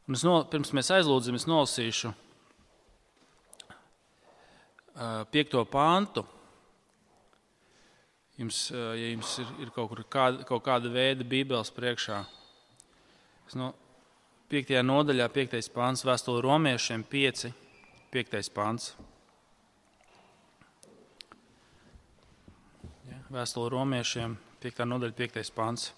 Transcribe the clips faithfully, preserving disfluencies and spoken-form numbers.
Un es no, pirms mēs aizlūdzam, es nolasīšu uh, piekto pantu. Jums, uh, ja jums ir, ir kaut, kur kāda, kaut kāda veida bībeles priekšā. Es no piektajā nodaļā, piektais pants, vēstule romiešiem pieci, piektais pants. Ja, vēstule romiešiem, piektā nodaļa, piektais pants.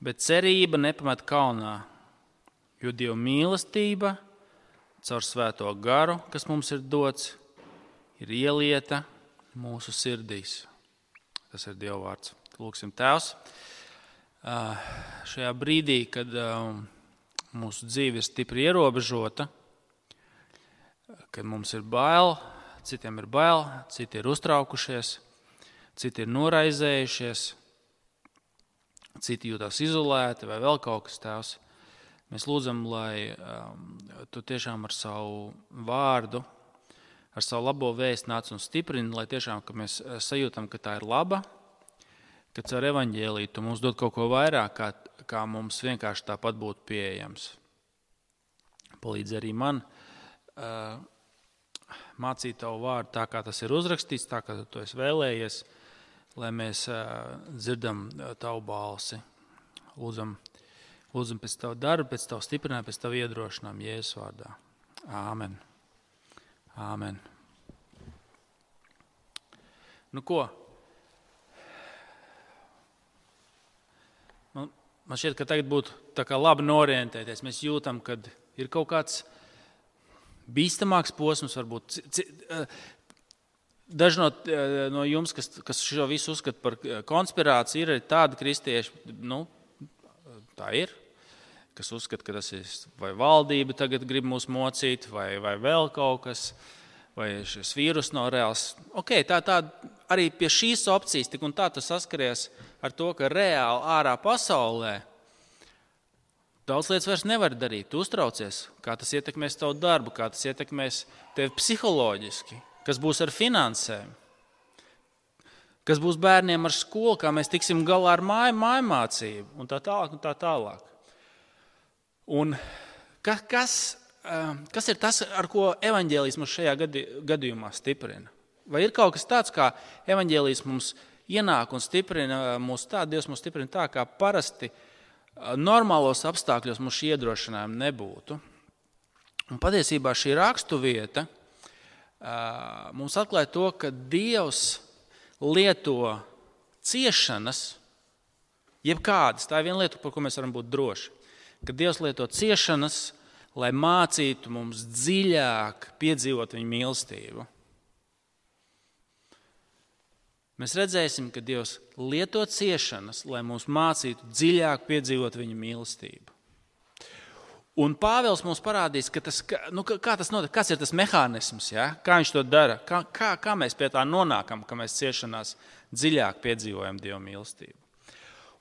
Bet cerība nepamet kaunā, jo Dieva mīlestība caur svēto garu, kas mums ir dots, ir ielieta mūsu sirdīs. Tas ir Dieva vārds. Lūksim, Tēvs, šajā brīdī, kad mūsu dzīve ir stipri ierobežota, kad mums ir bail, citiem ir bail, citi ir uztraukušies, citi ir noraizējušies, citi jūtās izolēti vai vēl kaut kas, Tēvs. Mēs lūdzam, lai um, Tu tiešām ar savu vārdu, ar savu labo vēstu nāc un stiprini, lai tiešām, ka mēs sajūtam, ka tā ir laba, ka caur evaņģēliju Tu mums dod kaut ko vairāk, kā, kā mums vienkārši tāpat būtu pieejams. Palīdz arī man uh, mācīt Tavu vārdu tā, kā tas ir uzrakstīts, tā, kā Tu to esi vēlējies, lai mēs uh, dzirdam Tavu balsi. Lūdzam, lūdzam pēc Tavu darbu, pēc Tavu stiprinājumu, pēc Tavu iedrošinājumu Jēzus vārdā. Āmen. Āmen. Nu ko? Man, man šķiet, ka tagad būtu tā kā labi norientēties. Mēs jūtam, kad ir kaut kāds bīstamāks posms, varbūt. C, c, Daži no, no jums, kas, kas šo visu uzskata par konspirāciju, ir arī tādi kristieši, nu, tā ir, kas uzskata, ka tas ir vai valdība tagad grib mūs mocīt, vai, vai vēl kaut kas, vai šis vīrus nav reāls. Ok, tā, tā arī pie šīs opcijas tik un tā tu saskaries ar to, ka reāli ārā pasaulē daudz lietas vairs nevar darīt. Tu uztraucies, kā tas ietekmēs tavu darbu, kā tas ietekmēs tevi psiholoģiski. Kas būs ar finansēm, kas būs bērniem ar skolu, kā mēs tiksim galā ar māju, mājmācību un tā tālāk un tā tālāk. Un kas, kas ir tas, ar ko evaņģēlijs mums šajā gadījumā stiprina? Vai ir kaut kas tāds, kā evaņģēlijs mums ienāk un stiprina mūs tā, Dievs mums stiprina tā, kā parasti normālos apstākļos mums šī iedrošinājuma nebūtu? Un patiesībā šī rakstu vieta mums atklāja to, ka Dievs lieto ciešanas, jebkādas, tā ir viena lieta, par ko mēs varam būt droši, ka Dievs lieto ciešanas, lai mācītu mums dziļāk piedzīvot viņa mīlestību. Mēs redzēsim, ka Dievs lieto ciešanas, lai mums mācītu dziļāk piedzīvot viņa mīlestību. Un Pāvils mums parādīs, ka tas, nu, kā tas notiek, kas ir tas mehānisms, ja? Kā viņš to dara, kā, kā, kā mēs pie tā nonākam, ka mēs ciešanās dziļāk piedzīvojam Dieva mīlestību.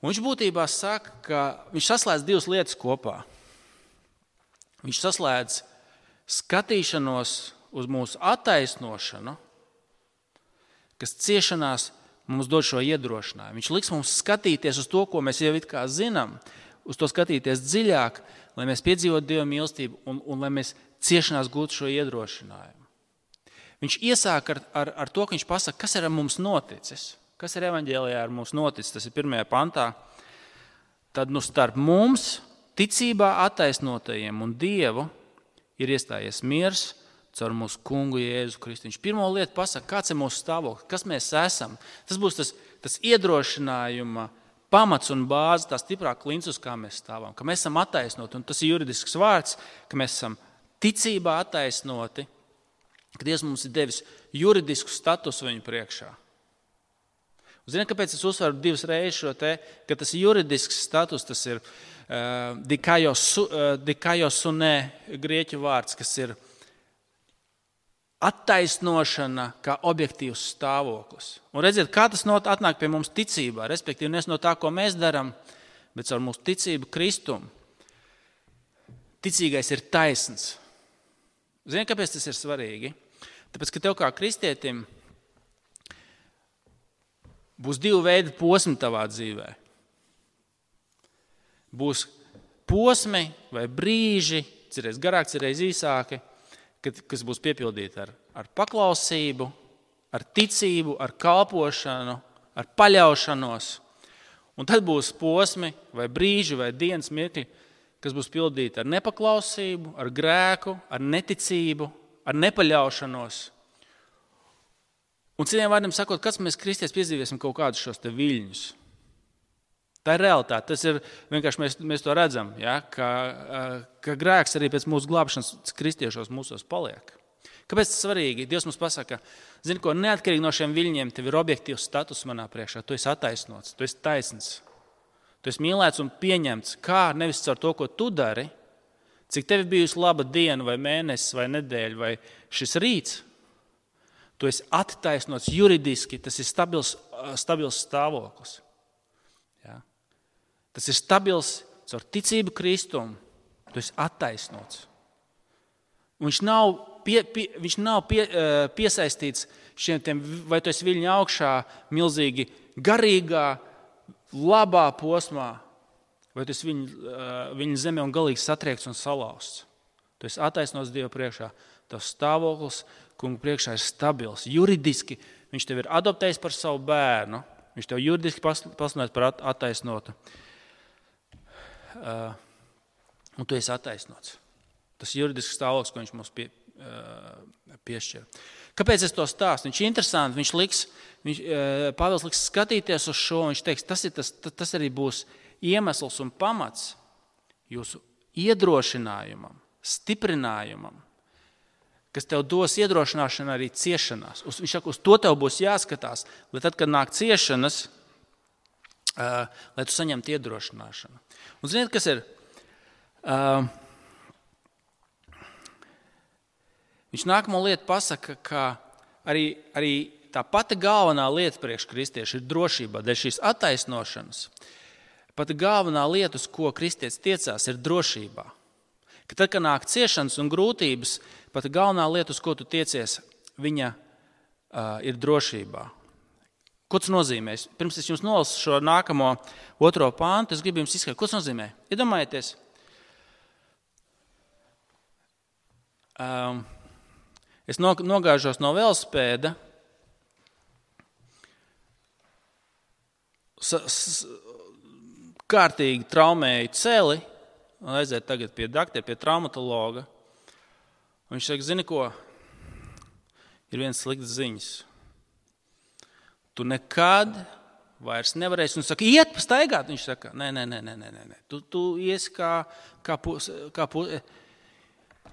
Un viņš būtībā saka, ka viņš saslēdz divas lietas kopā. Viņš saslēdz skatīšanos uz mūsu attaisnošanu, kas ciešanās mums dod šo iedrošinājumu. Viņš liks mums skatīties uz to, ko mēs jau it kā zinām, uz to skatīties dziļāk, lai mēs piedzīvotu Dieva mīlestību un, un lai mēs ciešanās gūtu šo iedrošinājumu. Viņš iesāk ar, ar, ar to, ka viņš pasaka, kas ir ar mums noticis, kas ir evaņģēlijā ar mums noticis, tas ir pirmajā pantā. Tad nu starp mums, ticībā attaisnotajiem un Dievu, ir iestājies miers caur mūsu kungu Jēzu Kristu. Viņš pirmo lietu pasaka, kāds ir mūsu stāvoklis, kas mēs esam. Tas būs tas, tas iedrošinājuma pamats un bāze, tā stiprā klints, uz kā mēs stāvam, ka mēs esam attaisnoti, un tas ir juridisks vārds, ka mēs esam ticībā attaisnoti, ka Dievs mums ir devis juridisku statusu viņu priekšā. Ziniet, kāpēc es uzsveru divas reizes šo te, ka tas ir juridisks status, tas ir uh, dikaiosune uh, grieķu vārds, kas ir attaisnošana kā objektīvs stāvoklis. Un redziet, kā tas not, atnāk pie mums ticībā, respektīvi nes no tā, ko mēs darām, bet caur mūsu ticību Kristumu. Ticīgais ir taisns. Zini, kāpēc tas ir svarīgi? Tāpēc, ka tev kā kristietim būs divi veidi posmi tavā dzīvē. būs posmi vai brīži, cerēs garāk, cerēs īsāki, kad, kas būs piepildīti ar, ar paklausību, ar ticību, ar kalpošanu, ar paļaušanos. Un tad būs posmi vai brīži vai dienas mirkļi, kas būs pildīti ar nepaklausību, ar grēku, ar neticību, ar nepaļaušanos. Un citiem vārdiem sakot, kāds mēs kristieši piedzīvēsim kaut kādus šos te viļņus. Tā ir realitāte. Tas ir vienkārši mēs, mēs to redzam, ja? ka, ka grēks arī pēc mūsu glābšanas kristiešos mūsos paliek. Kāpēc tas svarīgi? Dievs mums pasaka, zini ko, neatkarīgi no šiem viļņiem, tev ir objektīvs status manā priekšā, tu esi attaisnots, tu esi taisns, tu esi mīlēts un pieņemts, kā nevis caur to, ko tu dari, cik tev bijusi laba diena vai mēnesis vai nedēļa vai šis rīts, tu esi attaisnots juridiski, tas ir stabils, stabils stāvoklis. Ja? Tas ir stabils caur ticību Kristumu, tu esi attaisnots. Un viņš nav, pie, pie, viņš nav pie, piesaistīts šiem tiem, vai tu esi viļņa augšā, milzīgi garīgā, labā posmā, vai tu esi viņa, viņa zemē un galīgi satriekts un salauzts. Tu esi attaisnots Dieva priekšā. Tavs stāvoklis, kungu priekšā, ir stabils. Juridiski viņš tev ir adoptējis par savu bērnu. Viņš tev juridiski pasludinājis par attaisnotu. Uh, un tu esi attaisnots. Tas juridisks stāvoklis, ko viņš mums pie, uh, piešķir. Kāpēc es to stāstu? Viņš ir interesanti. Viņš liks, viņš, uh, Pāvils liks skatīties uz šo. Viņš teiks, tas, ir tas, tas arī būs iemesls un pamats jūsu iedrošinājumam, stiprinājumam, kas tev dos iedrošināšanu arī ciešanās. Uz, viņš saka, uz to tev būs jāskatās, lai tad, kad nāk ciešanas, uh, lai tu saņemtu iedrošināšanu. Un ziniet, kas ir? Uh, viņš nākamo lietu pasaka, ka arī, arī tā pati galvenā lieta priekš kristiešu ir drošība, dēļ šīs attaisnošanas. Pati galvenā lieta, uz ko kristietis tiecās, ir drošībā. Ka tad, kad nāk ciešanas un grūtības, pat galvenā lieta, uz ko tu tiecies, viņa uh, ir drošībā. Ko tas nozīmē? Pirms es jums nolasu šo nākamo otro pāntu, es gribu jums izskaidrot, ko tas nozīmē. Iedomājieties, um, es nogāžos no velospēda, s, s, kārtīgi traumēju celi, un aiziet tagad pie daktera, pie traumatologa. Un viņš saka, zini ko, ir viens slikts ziņas. Tu nekad vairs nevarēsi. Un saka, iet pastaigāt. Viņš saka, nē, nē, nē, nē, nē, nē. Tu, tu iesi kā, kā, pus, kā pus,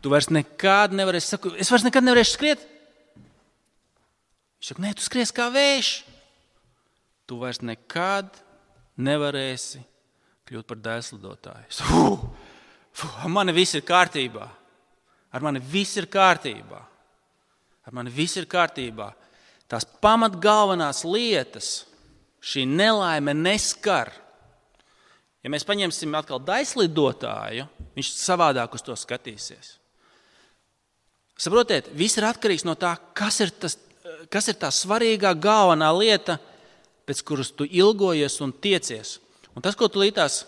tu vairs nekad nevarēsi. Saku, es vairs nekad nevarēšu skriet. Viņš saka, nē, tu skries kā vējš. Tu vairs nekad nevarēsi kļūt par dēļslidotāju. Fuh, fuh, ar mani viss ir kārtībā. Ar mani viss ir kārtībā. Ar mani viss ir kārtībā. Tās pamat galvenās lietas šī nelaime neskar. Ja mēs paņemsim atkal dēļslidotāju, viņš savādāk uz to skatīsies. Saprotiet, viss ir atkarīgs no tā, kas ir, tas, kas ir tā svarīgā galvenā lieta, pēc kuras tu ilgojies un tiecies. Un tas, ko tu līdās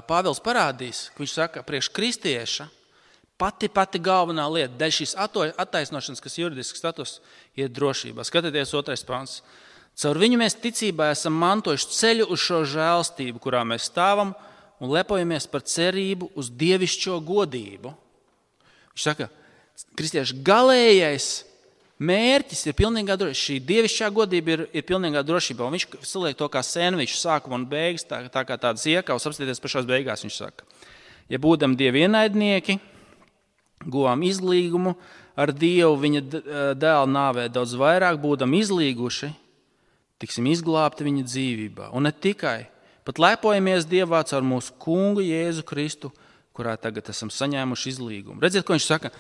Pāvils parādīs, ka viņš saka, priekš kristieša, pati, pati galvenā lieta, dēļ šīs attaisnošanas, kas juridisks status, ir drošībā. Skatieties otrais pants. Caur viņu mēs ticībā esam mantojuši ceļu uz šo žēlstību, kurā mēs stāvam un lepojamies par cerību uz dievišķo godību. Viņš saka, kristieša galējais mērķis ir pilnīgā drošība. Šī dievišķā godība ir, ir pilnīgā drošībā. Un viņš saliek to kā sēnviču sākumu un beigas, tā, tā kā tādas iekavas, apstieties pašās beigās, viņš saka. Ja būdam dievi ienaidnieki, guvām izlīgumu ar Dievu viņa dēla nāvē daudz vairāk, būdam izlīguši, tiksim izglābti viņa dzīvībā. Un ne tikai, pat lepojamies Dievā caur mūsu kungu Jēzu Kristu, kurā tagad esam saņēmuši izlīgumu. Redziet, ko viņš saka?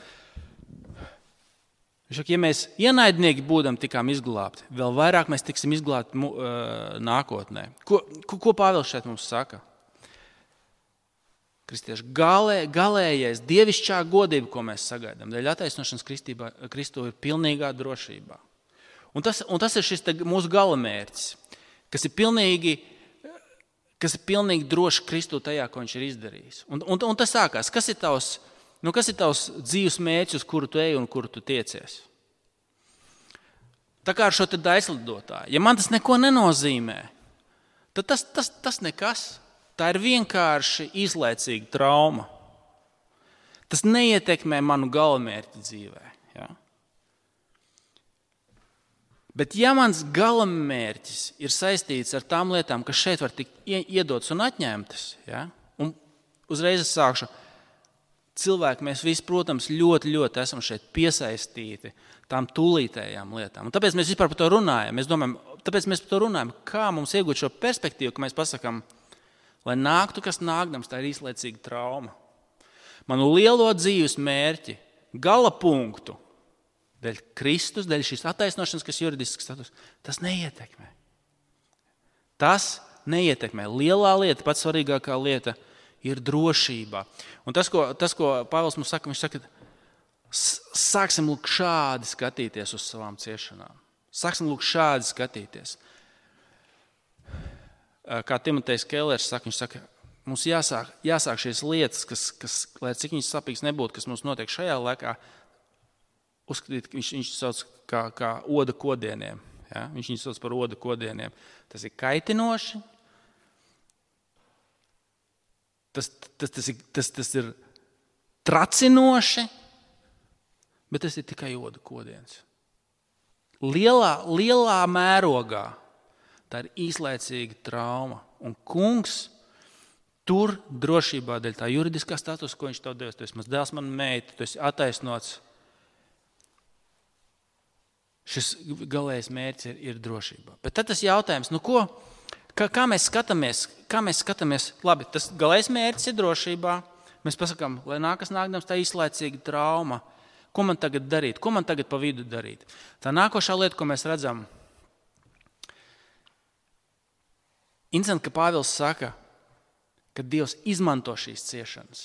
Viņš saka, ja mēs ienaidnieki būdam tikām izglābti, vēl vairāk mēs tiksim izglābti uh, nākotnē. Ko, ko, ko Pāvils šeit mums saka? Kristieši, galē, galējais, dievišķā godība, ko mēs sagaidām, dēļ attaisnošanas Kristu ir pilnīgā drošībā. Un tas, un tas ir šis mūsu galamērķis, kas ir pilnīgi, kas ir pilnīgi droši Kristū tajā, ko viņš ir izdarījis. Un, un, un tas sākās, kas ir tavs, nu, kas ir tavs dzīves mērķis, uz kuru tu ej un kuru tu tiecies? Tā kā ar šo te daislidotāju. Ja man tas neko nenozīmē, tad tas, tas, tas nekas. Tā ir vienkārši izlaicīga trauma. Tas neietekmē manu galamērķi dzīvē. Ja? Bet ja mans galamērķis ir saistīts ar tām lietām, kas šeit var tikt iedotas un atņemtas, ja? Un uzreiz es sākšu, cilvēki, mēs visi, protams, ļoti, ļoti esam šeit piesaistīti tām tūlītējām lietām. Un tāpēc mēs vispār par to runājam. Mēs domājam, tāpēc mēs par to runājam, kā mums iegūt šo perspektīvu, ka mēs pasakām, lai nāktu, kas nākdams, tā ir īslaicīga trauma. Manu lielo dzīves mērķi, gala punktu, dēļ Kristus, dēļ šīs attaisnošanas, kas juridisks status, tas neietekmē. Tas neietekmē. Lielā lieta, pats svarīgākā lieta ir drošībā. Un tas, ko, tas, ko Pāvils mums saka, viņš saka, sāksim lūk šādi skatīties uz savām ciešanām. Sāksim lūk šādi skatīties. Kā Timotejs Kellers saka, viņš saka, mums jāsāk, jāsāk šīs lietas, kas, kas, lai cik viņas sapīgs nebūtu, kas mums notiek šajā laikā, uzskatīt, viņš, viņš sauc kā, kā oda kodieniem. Ja? Viņš viņus sauc par oda kodieniem. Tas ir kaitinoši, tas, tas, tas, ir, tas, tas ir tracinoši, bet tas ir tikai oda kodiens. Lielā, lielā mērogā tā ir īslaicīga trauma. Un kungs tur drošībā dēļ tā juridiskā statusa, ko viņš tev devis. Tu esi mans dēls, man meita, tu esi attaisnots. Šis galējais mērķis ir, ir drošībā. Bet tad tas jautājums, nu ko, kā, kā mēs skatāmies, kā mēs skatāmies, labi, tas galējais mērķis ir drošībā. Mēs pasakām, lai nākas nākdams tā īslaicīga trauma. Ko man tagad darīt? Ko man tagad pa vidu darīt? Tā nākošā lieta, ko mēs redzam, interesanti, ka Pāvils saka, ka Dievs izmanto šīs ciešanas.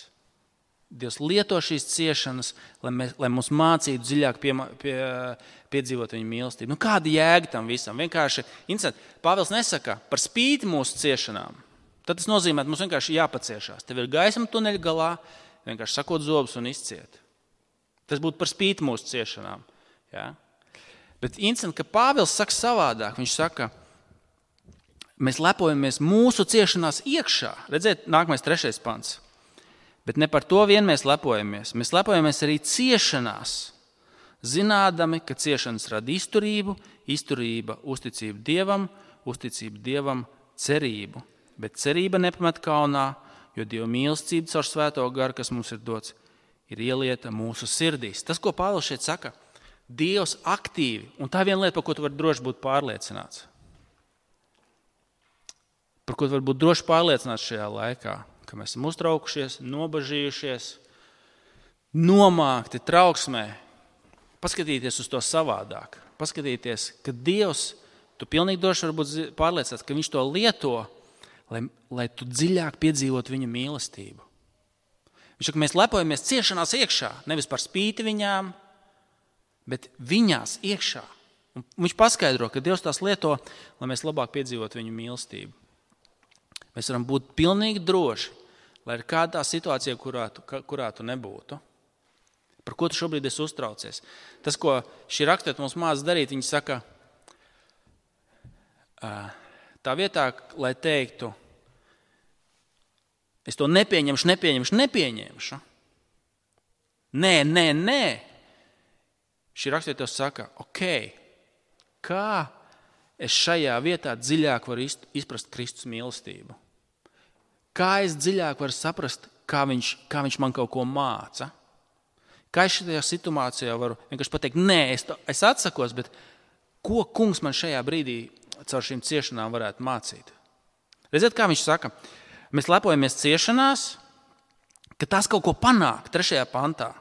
Dievs lieto šīs ciešanas, lai, mēs, lai mums mācītu dziļāk pie, pie, piedzīvot viņa mīlestību. Nu, kāda jēga tam visam? Vienkārši, interesanti, Pāvils nesaka par spīti mūsu ciešanām. Tad tas nozīmē, ka mums vienkārši jāpaciešās. Tev ir gaisma tuneļa galā, vienkārši sakot zobus un izciet. Tas būtu par spīti mūsu ciešanām. Ja? Bet interesanti, ka Pāvils saka savādāk. Viņš saka, mēs lepojamies mūsu ciešanās iekšā. Redziet, nākamais trešais pants. Bet ne par to vien mēs lepojamies. Mēs lepojamies arī ciešanās, zinādami, ka ciešanas rada izturību, izturība uzticību Dievam, uzticību Dievam cerību. Bet cerība nepamet kaunā, jo Dieva mīlestība caur svēto garu, kas mums ir dots, ir ielieta mūsu sirdīs. Tas, ko Pāvils šeit saka, Dievs aktīvi, un tā viena lieta, par ko tu vari droši būt pārliecināts. Par ko tu vari būt droši pārliecināts šajā laikā, ka mēs esam uztraukušies, nobažījušies, nomākti trauksmē, paskatīties uz to savādāk, paskatīties, ka Dievs, tu pilnīgi droši vari būt pārliecināts, ka viņš to lieto, lai, lai tu dziļāk piedzīvot viņa mīlestību. Viņš saka, mēs lepojamies ciešanās iekšā, nevis par spīti viņām, bet viņās iekšā. Un viņš paskaidro, ka Dievs tās lieto, lai mēs labāk piedzīvot viņu mīlestību. Mēs varam būt pilnīgi droši, lai ir kādā situācijā, kurā tu, kurā tu nebūtu. Par ko tu šobrīd esi uztraucies? Tas, ko šī raksturieta mums māca darīt, viņi saka, tā vietā, lai teiktu, es to nepieņemšu, nepieņemšu, nepieņemšu. Nē, nē, nē. Šī raksturieta saka, ok, kā es šajā vietā dziļāk varu izprast Kristus mīlestību? Kā es dziļāk varu saprast, kā viņš, kā viņš man kaut ko māca? Kā es šajā situācijā varu vienkārši pateikt, nē, es, to, es atsakos, bet ko kungs man šajā brīdī caur šīm ciešanām varētu mācīt? Redziet, kā viņš saka, mēs lepojamies ciešanās, ka tās kaut ko panāk trešajā pantā,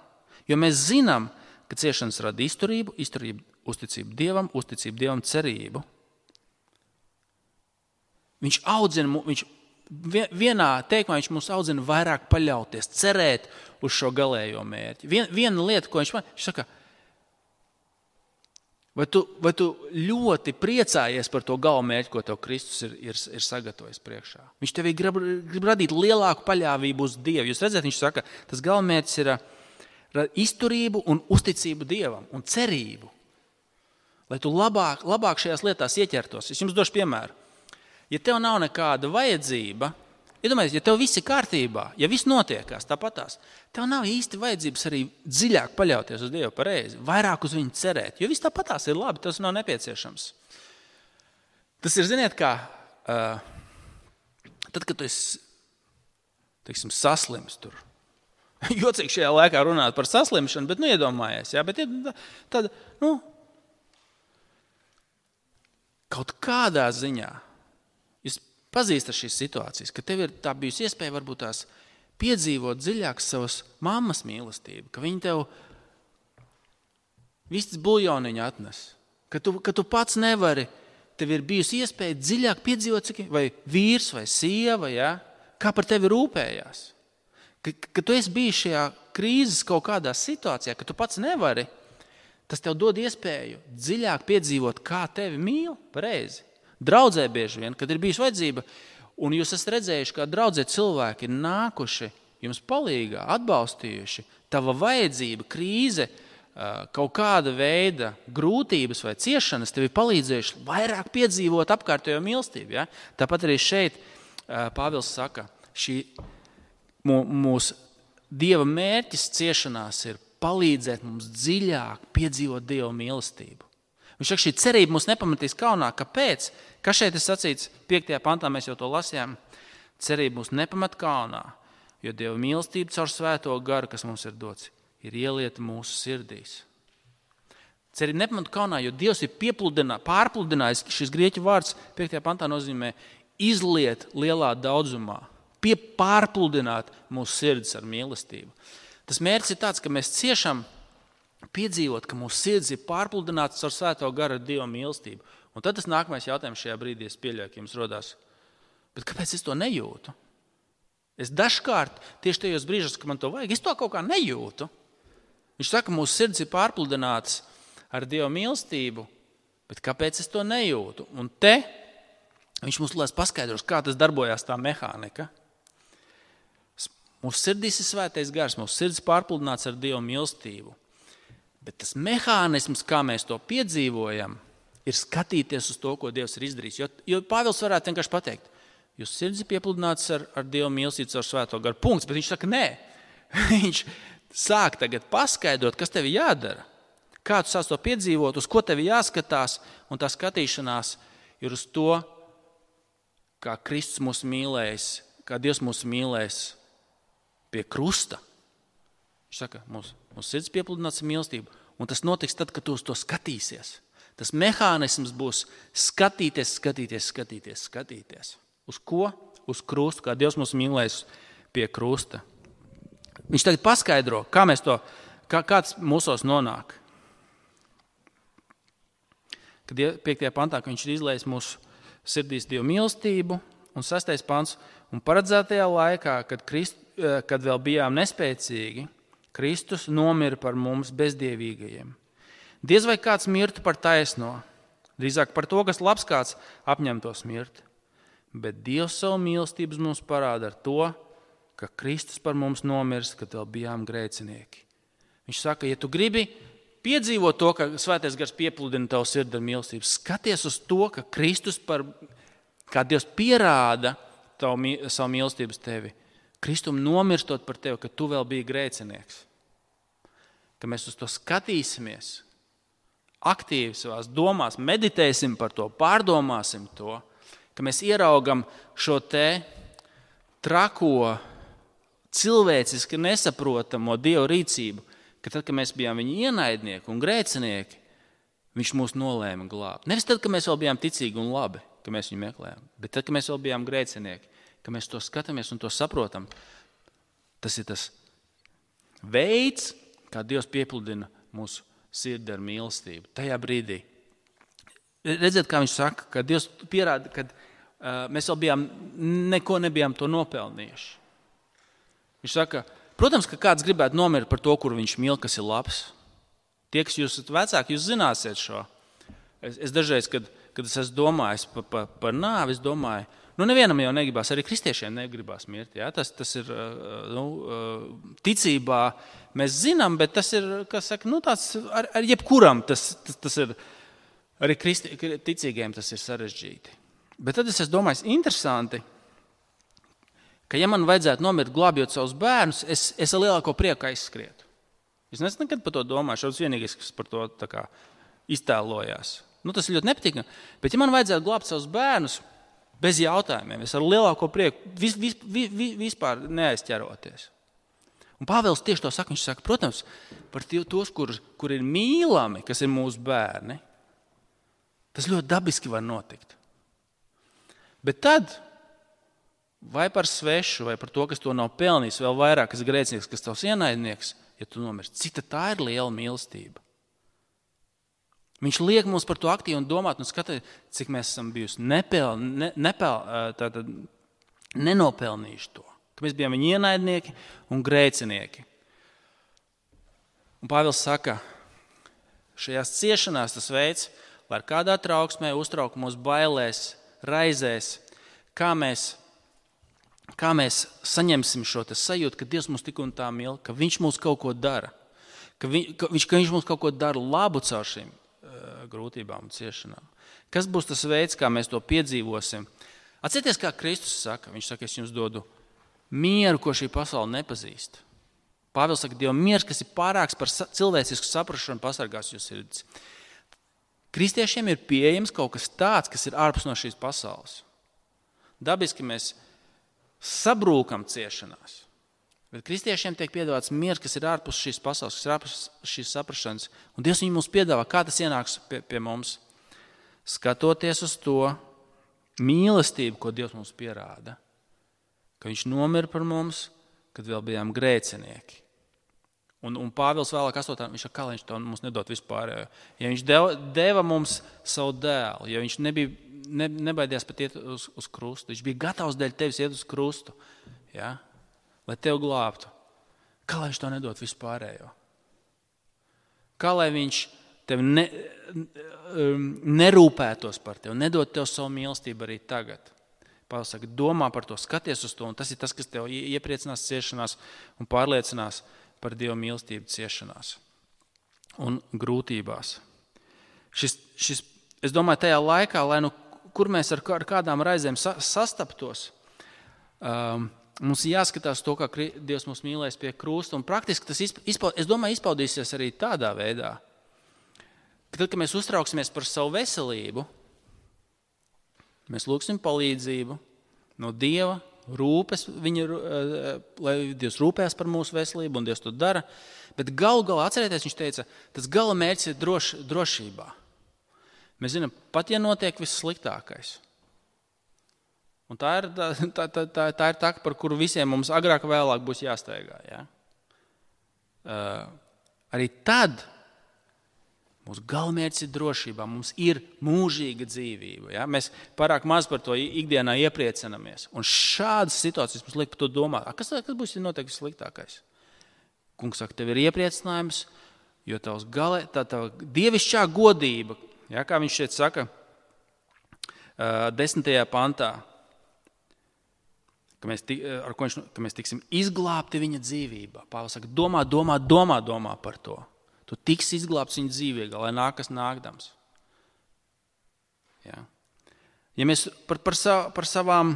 jo mēs zinām, ka ciešanas rada izturību, izturību uzticību Dievam, uzticību Dievam cerību. Viņš audzina, viņš vienā teikumā viņš mums audzina vairāk paļauties, cerēt uz šo galējo mērķi. Vien, viena lieta, ko viņš man, viņš saka, Vai tu, vai tu ļoti priecājies par to galamērķi, ko tev Kristus ir, ir, ir sagatavojis priekšā? Viņš tev grib, grib radīt lielāku paļāvību uz Dievu. Jūs redzat, viņš saka, tas galamērķis ir izturību un uzticību Dievam un cerību. Lai tu labāk, labāk šajās lietās ieķertos. Es jums došu piemēru. Ja tev nav nekāda vajadzība, iedomājieties, ja tev viss ir kārtībā, ja viss notiekās tāpatās, tev nav īsti vajadzības arī dziļāk paļauties uz Dievu pareizi, vairāk uz viņu cerēt, jo viss tāpatās ir labi, tas nav nepieciešams. Tas ir, ziniet, kā, uh, tad, kad tu esi, teiksim, saslims tur. Jocīgi šajā laikā runāt par saslimšanu, bet nu iedomājies, jā, bet tad, nu, kaut kādā ziņā, jūs pazīstat šīs situācijas, ka tev ir tā bijusi iespēja varbūt tās piedzīvot dziļāk savas mammas mīlestību, ka viņi tev vistas buļjoniņu atnes, ka tu, ka tu pats nevari, tev ir bijusi iespēja dziļāk piedzīvot, cik, vai vīrs vai sieva, ja, kā par tevi rūpējās. Ka, ka tu esi bijis šajā krīzes kaut kādā situācijā, ka tu pats nevari, tas tev dod iespēju dziļāk piedzīvot, kā tevi mīl pareizi. Draudzē bieži vien, kad ir bijusi vajadzība, un jūs esat redzējuši, kā draudzē cilvēki ir nākuši jums palīgā, atbalstījuši, tava vajadzība, krīze, kaut kāda veida grūtības vai ciešanas tevi palīdzējuši vairāk piedzīvot apkārtējo mīlestību. Ja? Tāpat arī šeit Pāvils saka, šī mūsu Dieva mērķis ciešanās ir palīdzēt mums dziļāk piedzīvot Dieva mīlestību. Viņš saka, šī cerība mūs nepamatīs kaunā. Kāpēc? Kas šeit ir sacīts? piektajā pantā mēs jau to lasījām. Cerība mūs nepamat kaunā, jo Dieva mīlestība caur svēto garu, kas mums ir dots, ir ielieta mūsu sirdīs. Cerība nepamat kaunā, jo Dievs ir pārpludinājis. Šis grieķu vārds piektajā pantā nozīmē izliet lielā daudzumā, pie pārpludināt mūsu sirdis ar mīlestību. Tas mērķis ir tāds, ka mēs ciešam piedzīvot, ka mūsu sirds ir pārpludināts ar svēto garu ar Dieva mīlestību. Un tad tas nākamais jautājums šajā brīdī es pieļauju, ka jums rodās. Bet kāpēc es to nejūtu? Es dažkārt, tieši tajos brīžos, ka man to vajag, es to kaut kā nejūtu. Viņš saka, mūsu sirds ir pārpludināts ar Dieva mīlestību, bet kāpēc es to nejūtu? Un te viņš mums lēs paskaidros, kā tas darbojās tā mehānika. Mūsu sirdīs ir svētais gars, mūsu sirds pārpludināts ar Dieva mīlestību. Bet tas mehānisms, kā mēs to piedzīvojam, ir skatīties uz to, ko Dievs ir izdarījis. Jo, jo Pāvils varētu vienkārši pateikt, jūs sirds ir piepludināts ar, ar Dieva mīlestību ar svēto garu. Punkts, bet viņš saka, nē. Viņš sāk tagad paskaidrot, kas tev jādara. Kā tu sāc to piedzīvot, uz ko tev jāskatās, un tā skatīšanās ir uz to, kā Kristus mūs mīlējis, kā Dievs mūs mīlējis pie krusta. Viņš saka, mūsu, mūsu sirds piepludināts ar mīlestību, un tas notiks tad, kad tu uz to skatīsies. Tas mehānisms būs skatīties, skatīties, skatīties, skatīties. Uz ko? Uz krustu, kā Dievs mūs mīlējis pie krusta. Viņš tagad paskaidro, kā mēs to, kā, kāds mūsos nonāk. Kad piektajā pantā, ka viņš ir izlējis mūsu sirdīs Dieva mīlestību, un sastais pants, un paredzētajā laikā, kad, Krist, kad vēl bijām nespēcīgi, Kristus nomira par mums bezdievīgajiem. Diez vai kāds mirtu par taisno, drīzāk par to, kas labs kāds apņemtos mirt. Bet Dievs savu mīlestības mums parāda ar to, ka Kristus par mums nomirs, kad vēl bijām grēcinieki. Viņš saka, ja tu gribi piedzīvot to, ka svētais gars piepludina tavu sirdi ar mīlestību, skaties uz to, ka Kristus par, kā Dievs pierāda tavu, savu mīlestības tevi, Kristum nomirstot par tevi, ka tu vēl biji grēcinieks. Ka mēs uz to skatīsimies, aktīvi savās domās, meditēsim par to, pārdomāsim to, ka mēs ieraugam šo te trako, cilvēciski nesaprotamo Dieva rīcību, ka tad, kad mēs bijām viņa ienaidnieki un grēcinieki, viņš mūs nolēma glābt. Nevis tad, kad mēs vēl bijām ticīgi un labi, ka mēs viņu meklējām, bet tad, kad mēs vēl bijām grēcinieki, ka mēs to skatāmies un to saprotam. Tas ir tas veids, kā Dievs piepludina mūsu sirdi ar mīlestību. Tajā brīdī. Redziet, kā viņš saka, ka Dievs pierāda, ka uh, mēs vēl bijām, neko nebijām to nopelnījuši. Viņš saka, protams, ka kāds gribētu nomirt par to, kur viņš mīl, kas ir labs. Tie, kas jūs esat vecāki, jūs zināsiet šo. es, es dažreiz, kad, kad es esmu domājis par pa, pa nāvi, es domāju, nu nevienam jau negribās, arī kristiešiem negribās mirt. Ja? Tas, tas ir nu, ticībā, mēs zinām, bet tas ir, kas saka, nu tāds ar, ar jebkuram, tas, tas, tas ir, arī kristi, ticīgiem tas ir sarežģīti. Bet tad es esmu domājis, interesanti, ka ja man vajadzētu nomirt glābjot savus bērnus, es, es ar lielāko prieku aizskrietu. Es neesmu nekad par to domāju, šāds vienīgais, kas par to tā kā iztēlojās. Nu, tas ir ļoti nepatīkami, bet ja man vajadzētu glābt savus bērnus, bez jautājumiem, es ar lielāko prieku vis, vis, vis, vispār neaizķeroties. Un Pāvils tieši to saka, viņš saka, protams, par tos, kur, kur ir mīlami, kas ir mūsu bērni, tas ļoti dabiski var notikt. Bet tad, vai par svešu, vai par to, kas to nav pelnījis, vēl vairāk, kas grēcinieks, kas tavs ienaidnieks, ja tu nomirsti, cik tā ir liela mīlestība. Viņš liek mums par to aktīvi un domāt un skatīt, cik mēs esam bijusi nepel, ne, nepel, tātad, nenopelnījuši to. Ka mēs bijām viņa ienaidnieki un grēcinieki. Un Pāvils saka, šajās ciešanās tas veids, lai ar kādā trauksmē, uztraukumos, bailēs, raizēs, kā mēs, kā mēs saņemsim šo sajūtu, ka Dievs mūs tik un tā mīl, ka Viņš mūs kaut ko dara, ka, vi, ka, viņš, ka Viņš mūs kaut ko dara labu caur šīm grūtībām un ciešanām. Kas būs tas veids, kā mēs to piedzīvosim? Atcerieties, kā Kristus saka. Viņš saka, es jums dodu mieru, ko šī pasaule nepazīst. Pāvils saka, Dieva miers, kas ir pārāks par cilvēcisku saprašanu, pasargās jūs sirdis. Kristiešiem ir pieejams kaut kas tāds, kas ir ārpus no šīs pasaules. Dabiski mēs sabrūkam ciešanās. Bet kristiešiem tiek piedāvāts miers, kas ir ārpus šīs pasaules, kas ir ārpus šīs saprašanas. Un Dievs viņu mums piedāvā, kā tas ienāks pie, pie mums. Skatoties uz to mīlestību, ko Dievs mums pierāda. Ka viņš nomira par mums, kad vēl bijām grēcinieki. Un, un Pāvils vēlāk astotā, viņš saka, kā viņš to mums nedod vispārējo. Ja viņš deva, deva mums savu dēlu, ja viņš nebija, ne, nebaidījās pat iet uz, uz krustu, viņš bija gatavs dēļ tevis iet uz krustu. Ja? Lai tev glābtu. Kā lai viņš to nedod vispārējo? Kā lai viņš tev ne, nerūpētos par tevi, nedod tev savu mīlestību arī tagad? Pāvils saka, domā par to, skaties uz to, un tas ir tas, kas tev iepriecinās ciešanās un pārliecinās par Dieva mīlestību ciešanās un grūtībās. Šis, šis, es domāju, tajā laikā, lai nu, kur mēs ar, ar kādām raizēm sa, sastaptos, um, mums jāskatās to, kā Dievs mūs mīlēs pie krusta, un praktiski tas, izpa, es domāju, izpaudīsies arī tādā veidā, ka tad, kad mēs uztrauksimies par savu veselību, mēs lūgsim palīdzību no Dieva, rūpes, viņa, lai Dievs rūpēs par mūsu veselību, un Dievs to dara, bet galu galā, atcerieties, viņš teica, tas gala mērķis ir droš, drošībā. Mēs zinām, pat ja notiek viss sliktākais, un tā ir tā, tā, tā, tā ir tā, par kuru visiem mums agrāk vēlāk būs jāsteigā. Ja? Uh, arī tad mūsu galvenmērķis ir drošībā, mums ir mūžīga dzīvība. Ja? Mēs pārāk maz par to ikdienā iepriecinamies. Un šādas situācijas mums liek par to domāt. Kas, kas būs, ja notiek vissliktākais? Kungs saka, tev ir iepriecinājums, jo tavs galē, tā tava dievišķā godība, ja? Kā viņš šeit saka, uh, desmitajā pantā, Ka mēs, ar ko viņš, ka mēs tiksim izglābti viņa dzīvībā. Pāvils saka, domā, domā, domā, domā par to. Tu tiksi izglābts viņa dzīvībā, lai nākas nākdams. Ja, ja mēs par, par, sav, par savām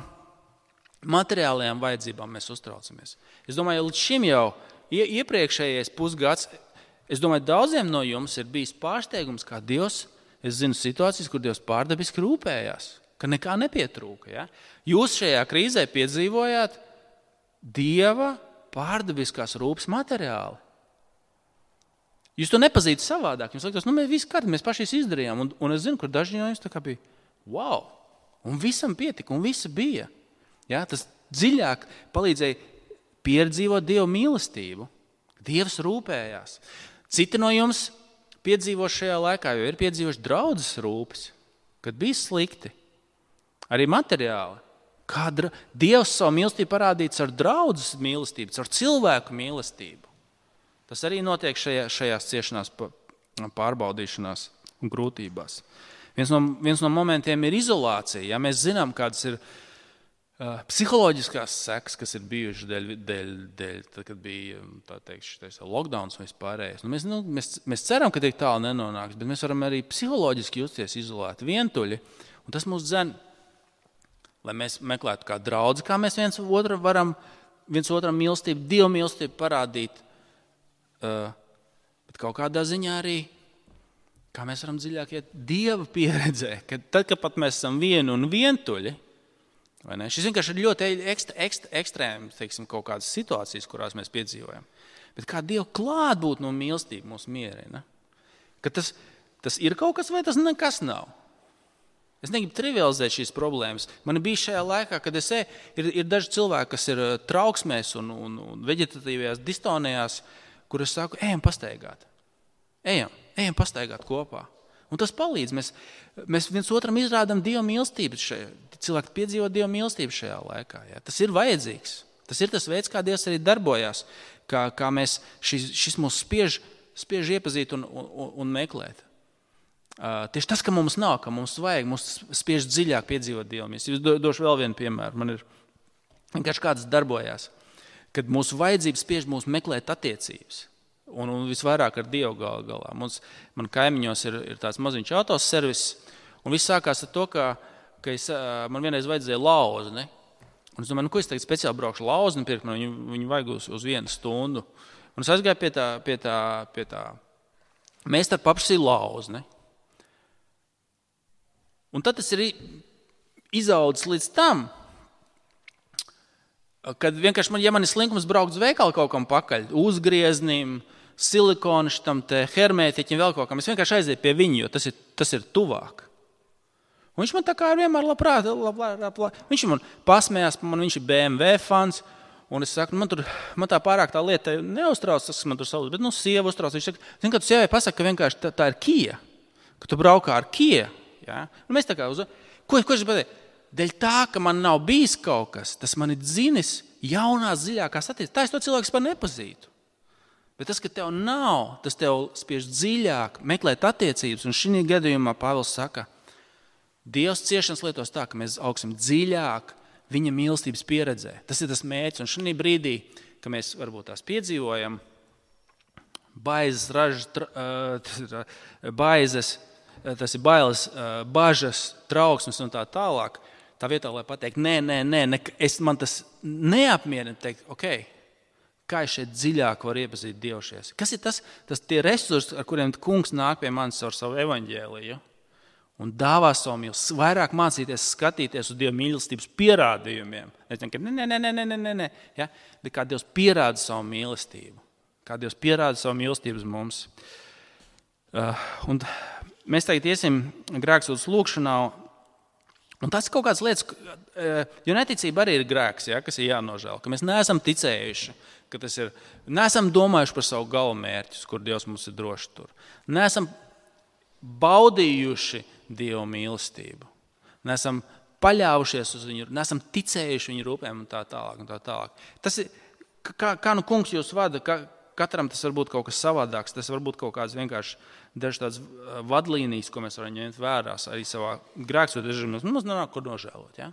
materiālajām vajadzībām mēs uztraucamies. Es domāju, līdz šim jau iepriekšējais pusgads, es domāju, daudziem no jums ir bijis pārsteigums, kā Dievs, es zinu situācijas, kur Dievs pārdabiski rūpējās. Ka nekā nepietrūka. Ja? Jūs šajā krīzē piedzīvojāt Dieva pārdabiskās rūpes materiāli. Jūs to nepazītu savādāk. Jums liekas, nu mēs visi kārti, mēs paši izdarījām. Un, un es zinu, kur daži no jums tā kā bija, wow, un visam pietika, un visa bija. Ja? Tas dziļāk palīdzēja piedzīvot Dieva mīlestību. Dievs rūpējās. Citi no jums piedzīvo šajā laikā, jo ir piedzīvoši draudzes rūpes, kad bija slikti. Arī materiāli. Kā dra... Dievs savu mīlestību parādīts ar draudzes mīlestību, ar cilvēku mīlestību. Tas arī notiek šajā, šajās ciešanās pārbaudīšanās un grūtībās. Viens no, viens no momentiem ir izolācija. Ja mēs zinām, kādas ir uh, psiholoģiskās sekas, kas ir bijušas dēļ, dēļ, dēļ tad, kad bija tā teikt, šitais lockdowns un vispārējais. Nu, mēs, nu, mēs, mēs ceram, ka tik tālu nenonāks, bet mēs varam arī psiholoģiski justies izolēti, vientuļi. Un tas mūs dzen, lai mēs meklētu kā draudzi, kā mēs viens otru varam, viens otram mīlestību, Dievu mīlestību parādīt, uh, bet kaut kādā ziņā arī, kā mēs varam dziļāk iet Dieva pieredzē, kad tad, kad pat mēs esam vieni un vientuļi, vai ne? Šis vienkārši ir ļoti ekstra, ekstra, ekstrēms, teiksim, kaut kādas situācijas, kurās mēs piedzīvojam. Bet kā Dieva klātbūt no mīlestība mūs mierina, ka tas, tas ir kaut kas vai tas nekas nav. Es negribu trivializēt šīs problēmas. Man bija šajā laikā, kad es e, ir, ir daži cilvēki, kas ir trauksmēs un, un, un veģetatīvajās distonijās, kur es saku, ejam pastaigāt. Ejam, ejam pastaigāt kopā. Un tas palīdz. Mēs, mēs viens otram izrādām Dieva mīlestību. Šajā, cilvēki piedzīvo Dieva mīlestību šajā laikā. Jā. Tas ir vajadzīgs. Tas ir tas veids, kā Dievs arī darbojās, kā, kā mēs šis, šis mūs spiež, spiež iepazīt un, un, un meklēt. Uh, tieši tas, ka mums nav, ka mums vajag, mums spiež dziļāk piedzīvot Dievu mīlestību. Es do, došu vēl vienu piemēru. Man ir vienkārši kāds darbojās, kad mūsu vajadzības spiež mūs meklēt attiecības. Un, un visvairāk ar Dievu gal, galā. Mums, man kaimiņos ir, ir tāds maziņš autoservis, un viss sākās ar to, ka, ka es, man vienreiz vajadzēja lauzni. Un es domāju, nu, ko es tagad speciāli braukšu lauzni pirkt, man viņu, viņu vajag uz, uz vienu stundu. Un es aizgāju pie tā, pie tā, pie tā. Mēs tā paprasīju lauzni. Un tad tas ir izaudzis līdz tam, kad vienkārši, man, ja man ir slinkums braukt uz veikalu kaut kam pakaļ, uzgrieznim, silikonu šitam te hermētiķim, vēl kaut kam, es vienkārši aizēju pie viņu, jo tas ir, tas ir tuvāk. Un viņš man tā kā vienmēr labprāt, labprāt, labprāt. Viņš man pasmējās, man viņš ir B M W fans, un es saku, man, tur, man tā pārāk tā lieta neuztrauc, tas, kas man tur sauc, bet nu sieva uztrauc. Viņš saka, zin, ka tu sievai pasaka, ka vienkārši tā, tā ir Kia, ka tu braukā ar Kia. Ja? Un mēs tā kā uz... Ko, ko es pateicu? Dēļ tā, ka man nav bijis kaut kas, tas man ir dzinis jaunās, dziļākās attiecības. Tā es to cilvēku par nepazītu. Bet tas, ka tev nav, tas tev spiež dziļāk meklēt attiecības. Un šī gadījumā Pāvils saka, Dievs ciešanas lietos tā, ka mēs augsim dziļāk viņa mīlestības pieredzē. Tas ir tas mērķis. Un šī brīdī, ka mēs varbūt tās piedzīvojam, baizes, ražas, tra, baizes, tas ir bailes, bažas, trauksmes un tā tālāk, tā vietā, lai pateikt, nē, nē, nē, ne, es, man tas neapmierina, teikt, ok, kā es šeit dziļāk varu iepazīt Dievu šies? Kas ir tas, tas tie resursi, ar kuriem kungs nāk pie manis ar savu evaņģēliju un dāvā savu mīlestību, vairāk mācīties skatīties uz Dieva mīlestības pierādījumiem. Es domāju, nē, nē, nē, nē, nē, nē, ja? Bet kā Dievs pierāda savu mīlestību, kā Dievs pierāda savu mīlestību uz mums. Uh, un mēs tagad iesim grēksūdas lūkšanā, un tas ir kaut kādas lietas, jo neticība arī ir grēks, ja, kas ir jānožēl, ka mēs neesam ticējuši, ka tas ir, neesam domājuši par savu galamērķus, kur Dievs mums ir droši tur. Neesam baudījuši Dievu mīlestību, neesam paļāvušies uz viņu, neesam ticējuši viņu rūpēm un tā tālāk. Un tā tālāk. Tas ir, kā, kā nu kungs jūs vada, ka, katram tas var būt kaut kas savādāks, tas var būt kaut kāds vienkārši dažs tāds vadlīnijas, ko mēs varam ņemt vērās arī savā grēksūdas režīmā. Mums nav kur nožēlot. Ja?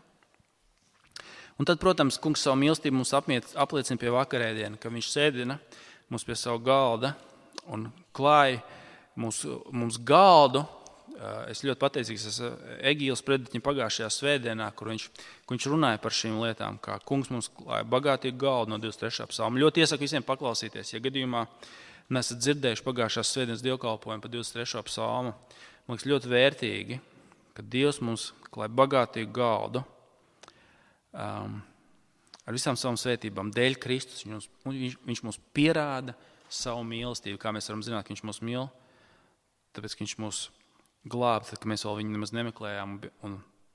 Un tad, protams, kungs savu mīlestību mums apliecina pie vakarēdiena, ka viņš sēdina mums pie savu galda un klāja mums, mums galdu. Es ļoti pateicīgs esmu Egīles prediķim pagājušajā svētdienā, kur viņš, kur viņš runāja par šīm lietām, kā kungs mums klāja bagātīgu galdu no divdesmit trešā psalma. Ļoti iesaku visiem paklausīties, ja gadījumā nesat dzirdējuši pagājušās svētdienas dievkalpojumu par divdesmit trešo psalmu. Man liekas ļoti vērtīgi, ka Dievs mums klāja bagātīgu galdu um, ar visām savām svētībām. Dēļ Kristus viņš, viņš, viņš mums pierāda savu mīlestību, kā mēs varam zināt, ka viņš mūs mīl, tāpēc, ka viņš mūs glābt, ka mēs vēl viņu nemaz nemeklējām un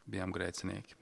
bijām grēcinieki.